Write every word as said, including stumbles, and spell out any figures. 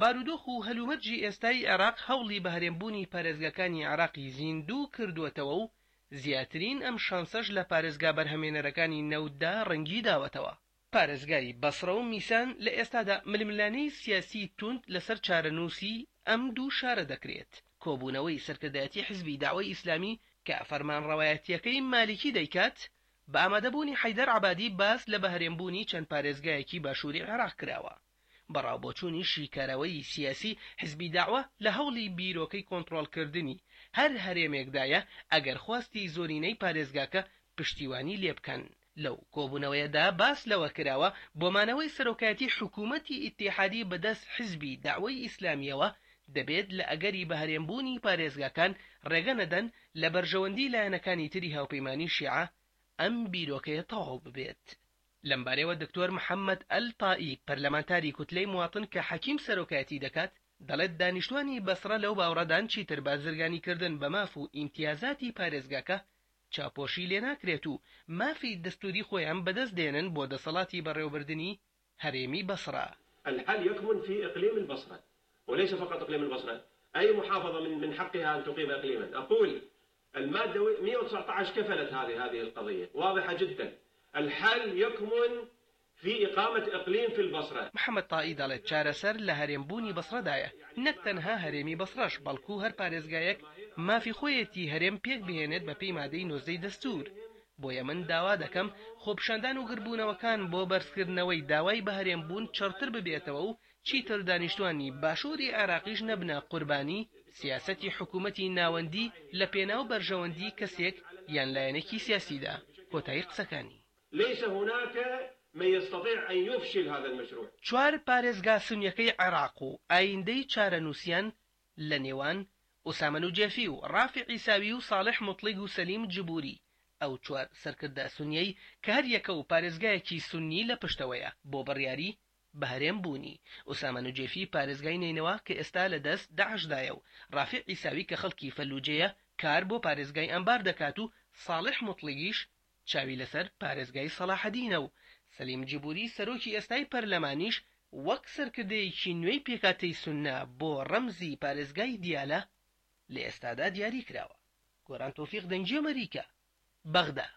بارودۆخ و هەلومەرجی ئێستای عێراق هەوڵی بەهەرێمبوونی پارێزگاکانی عێراقی زیندوو کردووەتەوە و زیاترین ئەم شانسەش لە پارێزگا بەرهەمێنەرەکانی نەوتدا ڕەنگی داوەتەوە. پارێزگای بەسڕە و میسان لە ئێستادا ململانێی سیاسی توند لەسەر چارەنووسی ئەم دوو شارە دەکرێت. کۆبوونەوەی سەرکردایەتی حزبی دەعوەی ئیسلامی کە فەرمانڕەوایەتییەکەی مالیکی دەیکات، بە ئامادەبوونی حەیدەر عەبادی باس لە بەهەرێمبوونی چەند پارێزگایەکی باشووری عێراق کراوە. بە ڕاوبۆچوونی شیکەرەوەی سیاسی، حزبی دەعوە لە هەوڵی بیرۆکەی کۆنتڕۆڵکردنی هەر هەرێمێکدایە ئەگەر خواستی زۆرینەی پارێزگاکە پشتیوانی لێبکەن. لەو کۆبوونەوەیەدا باس لەوە کراوە، بۆ مانەوەی سەرۆکایەتی حکوومەتی ئیتیحادی بەدەست حزبی دەعوەی ئیسلامییەوە، دەبێت لە ئەگەری بەهەرێمبوونی پارێزگاکان ڕێگە نەدەن لە بەرژەوەندی لایەنەکانی تری هاوپەیمانی شیعە ئەم بیرۆکەیە تەواو ببێت. لەمبارەیەوە دکتۆر محەمەد ئەلتائی، پەرلەمانتاری کوتلەی مواتن کە حەکیم سەرۆکایەتی دەکات، دەڵێت دانیشتوانی بەسڕە لەو باوەڕەدان چیتر بازرگانیکردن بە ماف و ئیمتیازاتی پارێزگاکە چاوپۆشی لێناکرێت و مافی دەستوری خۆیان بەدەست دێنن بۆ دەسەڵاتی بەڕێوەبردنی هەرێمی بەسڕە. الحل يكمن في إقليم البصرة وليس فقط إقليم البصرة، أي محافظة من من حقها أن تقيم إقليما. أقول المادة مئة وتسعة عشر كفلت هذه هذه القضية واضحة جدا. الحل يكمن في إقامة إقليم في البصرة. محەمەد تائی دەڵێت چارەسەر لە هەرێمبوونی بەسڕەدایە، نەک تەنها هەرێمی بەسڕەش، بەڵکو هەر پارێزگایەک مافی خۆیەتی هەرێم پێک بهێنێت بەپێی مادەی نۆزدەی دەستوور. بۆیە من داوا دەکەم خۆپیشاندان و گربوونەوەکان بۆ بەرزکردنەوەی داوای بەهەرێمبوون چڕتر ببێتەوە و چیتر دانیشتوانی باشووری عێراقیش نەبنە قوربانی سیاسەتی حکوومەتی ناوەندی لە پێناو بەرژەوەندی کەسێک یان لایەنێکی سیاسیدا. کۆتایی قسەکانی. ليس هناك من يستطيع أن يفشل هذا المشروع. چوار پارێزگا سونیەکەی عێراق و ئایندەی چارەنووسیان لە نێوان ئوسامە نوجێفی و ڕافع عیساوی و ساڵح موتڵیگ و سەلیم جبوری، ئەو چوار سەرکردە سونیەی کە هەر یەکە و پارێزگایەکی سونی لە پشتەوەیە بۆ بڕیاری بەهەرێم بوونی. ئوسامە نوجێفی پارێزگای نەینەوا کە ئێستا لە دەست داعشدایە و ڕافع عیساوی کە خەڵکی فەلوجەیە کار بۆ پارێزگای ئەنبار دەکات و ساڵح موتڵیگیش چاوی لەسەر پارێزگای سەلاحەدینە و سەلیم جبوری سەرۆکی ئێستای پەرلەمانیش وەک سەرکردەیەکی نوێی پێکهاتەی سوننە بۆ ڕەمزی پارێزگای دیالە لە ئێستادا دیاری کراوە. گۆران تۆفیق، دەنگی ئەمریکا، بەغدا.